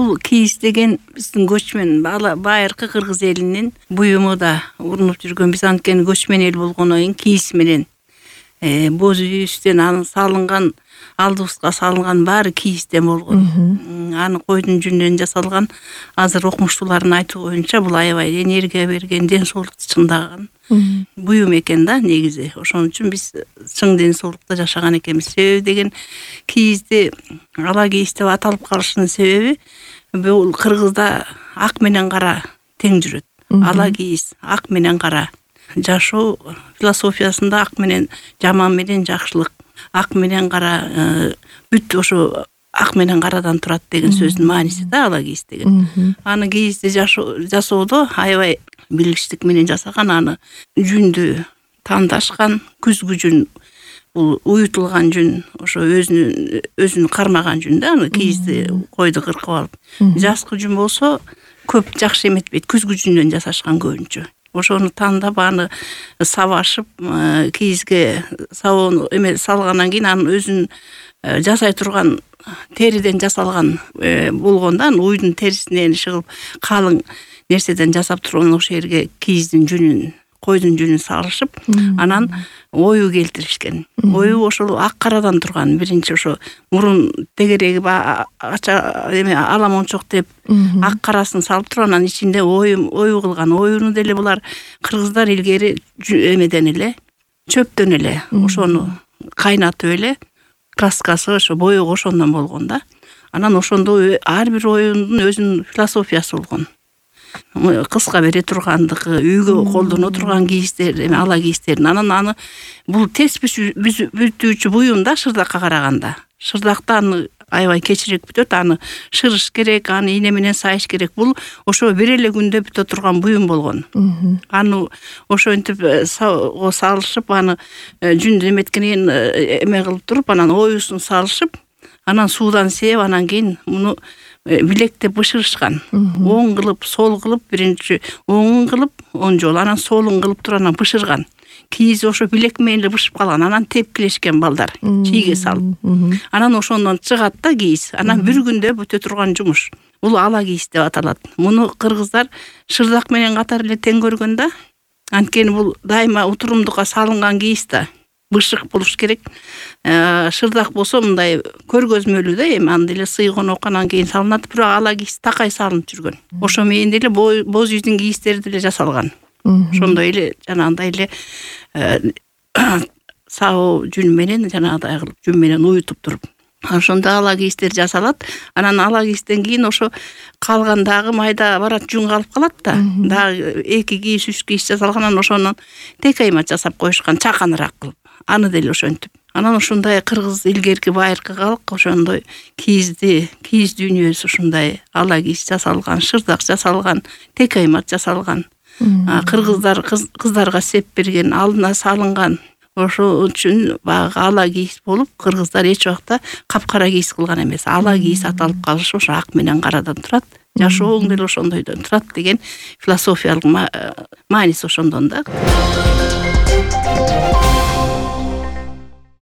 Бул кийиз деген биздин көчмөн байыркы кыргыз элинин буюму да урунуп жүргөн. Биз анткени көчмөн эл болгондон кийин кийиз менен боз үйүбүздөн анын салынган, алдыбызга салынган баары кийизден болгон. Аны койдун жүнүнөн жасалган. Азыр окумуштуулардын айтуу боюнча бул аябай энергия берген, ден соолукту чыңдаган буюм экен да негизи. Ошон үчүн биз чың ден соолукта жашаган экенбиз. Себеби деген кийизди ала кийиз деп аталып калышынын себеби бул кыргызда ак менен кара тең жүрөт. Ала кийиз, ак менен кара. Жашоо философиясында ак менен жаман менен жакшылык, ак менен кара бүт ошо ак менен карадан турат деген сөздүн мааниси да ала кийиз деген. Аны кийизди жасоодо аябай билгичтик менен жасаган, аны жүндү тандашкан, күзгү жүн, бул уютулган жүн, ошо өзүн кармаган жүн да, аны кийизди койду кыркып алып. Жазкы жүн болсо көп жакшы эметпейт, күзгү жүндөн жасашкан көбүнчө. Ошону тандап, аны сабашып, кийизге сабоону салгандан кийин анын өзүн жасай турган териден жасалган болгондо, аны уйдун терисинен чыгып калың нерседен жасап турган ошол жерге кийиздин жүнүн, койдун жүнүн салышып, анан ою келтиришкен. Ою ошол ак карадан турган. Биринчи ошо мурун тегереги аламончок деп ак карасын салып туруп, анан ичинде ою кылган. Оюну деле булар кыргыздар илгери эмеден эле, чөптөн эле ошону кайнатып эле, краскасы ошо боёгу ошондон болгон да. Анан ошондо ар бир оюндун өзүнүн философиясы болгон. Кыска бере тургандыгы, үйгө колдоно турган кийиздер, ала кийиздердин. Анан аны бул тез бүтүүчү буюм да шырдакка караганда. Шырдакта аны аябай кечирээк бүтөт, аны шырыш керек, аны ийне менен сайыш керек. Бул ошо бир эле күндө бүтө турган буюм болгон. Аны ошентип салышып, аны жүндү эметкенен эме кылып туруп, анан оюсун салышып, анан суудан сээп, анан кийин муну билектеп бышырышкан. Оң кылып, сол кылып, биринчи оңун кылып, он жолу, анан солун кылып туруп анан бышырган. Кийиз ошо билек менен эле бышып калган. Анан тепкилешкен балдар чийге салып. Анан ошондон чыгат да кийиз. Анан бир күндө бүтө турган жумуш. Бул ала кийиз деп аталат. Муну кыргыздар шырдак менен катар эле тең көргөн да. Анткени бул дайыма утурумдукка салынган кийиз да. Бышык болуш керек. Шырдак болсо мындай көргөзмөлүү да, эми аны деле сыйгон оканан кийин салынат, бирок ала кийиз такай салынып жүргөн. Ошо менен деле боз үйдүн кийиздери деле жасалган. Ошондой эле жанагындай эле сабоо жүн менен жанагыдай кылып жүн менен уютуп туруп. Ошондо ала кийиздер жасалат. Анан ала кийизден кийин ошо калган дагы майда барат жүн калып калат да. Дагы 2 кийиз, 3 кийиз жасалгандан ошонун текаймат жасап коюшкан, чаканыраак кылып. Аны деле ошентип. Анан ошондой кыргыз илгерки байыркы калк ошондой кийиз дүйнөсү ушундай ала кийиз жасалган, шырдак жасалган, текаймат жасалган. Кыргыздар кыздарга сеп берген, алдына салынган. Ошол үчүн баягы ала кийиз болуп, кыргыздар эч убакта капкара кийиз кылган эмес. Ала кийиз аталып калышы ошо ак менен карадан турат. Жашооң деле ошондойдон турат деген философиялык мааниси ошондон да.